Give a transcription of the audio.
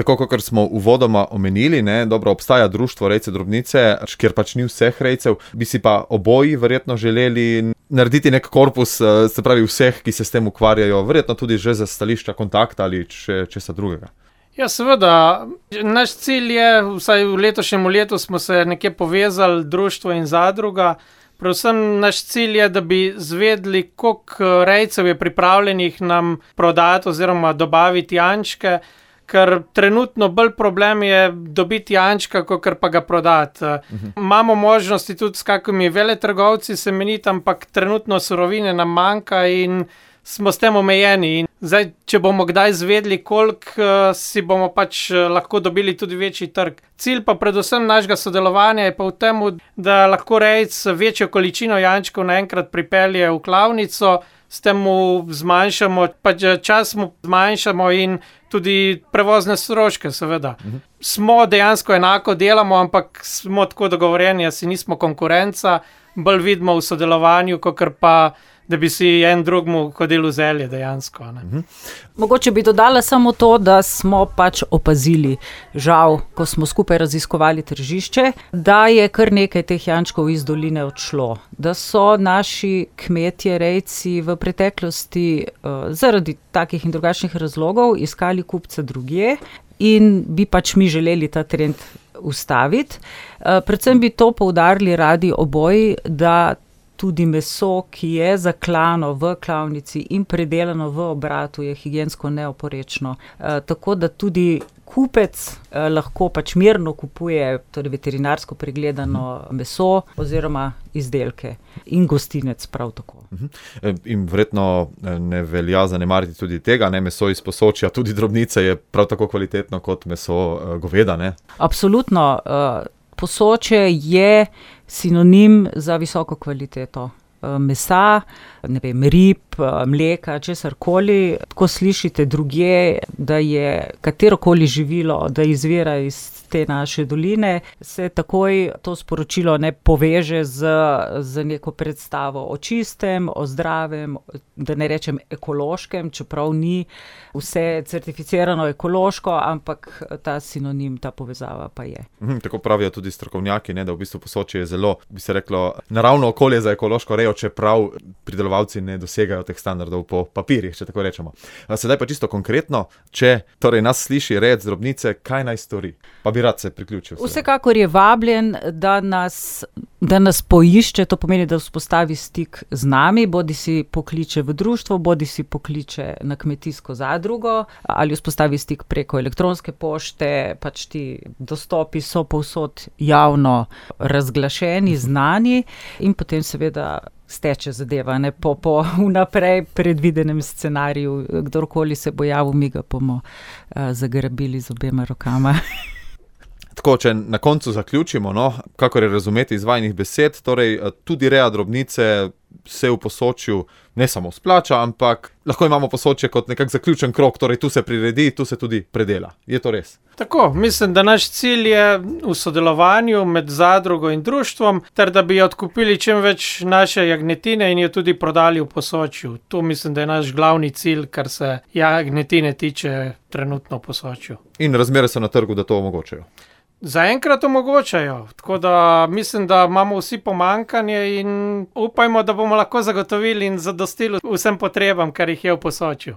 Tako kot smo uvodoma omenili, ne, dobro, obstaja društvo rejcev drobnice, kjer pač ni vseh rejcev, bi si pa oboji verjetno želeli narediti nek korpus, se pravi vseh, ki se s tem ukvarjajo, verjetno tudi že za stališča kontakta ali česa drugega. Ja, seveda. Naš cilj je, vsaj v letošnjem letu smo se nekje povezali, društvo in zadruga. Predvsem naš cilj je, da bi zvedeli, koliko rejcev je pripravljenih nam prodati oziroma dobaviti jančke, ker trenutno bolj problem je dobiti jančka, kakor pa ga prodati. Imamo možnosti tudi s kakimi veletrgovci semeniti, ampak trenutno surovine nam manjka in smo s tem omejeni. In zdaj, če bomo kdaj zvedeli, koliko si bomo pač lahko dobili tudi večji trg. Cilj pa predvsem našega sodelovanja je pa v tem, da lahko rejec večjo količino jančkov naenkrat pripelje v klavnico, s tem mu zmanjšamo, pač čas mu zmanjšamo in tudi prevozne stroške, seveda. Smo dejansko enako delamo, ampak smo tako dogovorjeni, da si nismo konkurenca, bolj vidimo v sodelovanju, kakor pa da bi si en drugmu hodili v zelje dejansko. Mogoče bi dodala samo to, da smo pač opazili, žal, ko smo skupaj raziskovali tržišče, da je kar nekaj teh jančkov iz doline odšlo. Da so naši kmetje, rejci v preteklosti zaradi takih in drugačnih razlogov iskali kupce drugje in bi pač mi želeli ta trend ustaviti. Predvsem bi to poudarili radi oboji, da tudi meso, ki je zaklano v klavnici in predelano v obratu, je higiensko neoporečno. Tako da tudi kupec lahko pač mirno kupuje, torej veterinarsko pregledano meso oziroma izdelke. In gostinec prav tako. In verjetno ne velja zanemariti tudi tega, ne, meso iz Posočja, tudi drobnice je prav tako kvalitetno kot meso goveda, ne? Absolutno. Posočje je sinonim za visoko kvaliteto mesa, ne vem, rib, mleka, česarkoli. Ko slišite drugje, da je katerokoli živilo, da izvira iz te naše doline, se takoj to sporočilo ne poveže z neko predstavo o čistem, o zdravem, da ne rečem ekološkem, čeprav ni vse certificirano ekološko, ampak ta sinonim, ta povezava pa je. Tako pravijo tudi strokovnjaki, ne, da v bistvu Posočje je zelo, bi se reklo, naravno okolje za ekološko rejo, čeprav pridelovalci ne dosegajo teh standardov po papirjih, če tako rečemo. Sedaj pa čisto konkretno, če torej nas sliši rejec drobnice, kaj naj stori? Pa bi rad se priključil. Vsekakor je vabljen, da nas poišče, to pomeni, da vzpostavi stik z nami, bodi si pokliče v društvo, bodi si pokliče na kmetijsko zadrugo, ali vzpostavi stik preko elektronske pošte, pač ti dostopi so povsod javno razglašeni, znani in potem seveda steče zadeva, ne, po vnaprej predvidenem scenariju. Kdorkoli se bo javil, mi ga bomo zagrabili z obema rokama. Tako, če na koncu zaključimo, no, kakor je razumeti iz vajinih besed, torej tudi reja drobnice se v Posočju ne samo splača, ampak lahko imamo Posočje kot nekak zaključen krog, torej tu se priredi, tu se tudi predela. Je to res? Tako, mislim, da naš cilj je v sodelovanju med zadrugo in društvom, ter da bi odkupili čim več naše jagnjetine in jo tudi prodali v Posočju. To mislim, da je naš glavni cilj, kar se jagnjetine tiče trenutno v Posočju. In razmere so na trgu, da to omogočajo? Zaenkrat omogočajo, tako da mislim, da imamo vsi pomanjkanje in upajmo, da bomo lahko zagotovili in zadostili vsem potrebam, kar jih je v Posočju.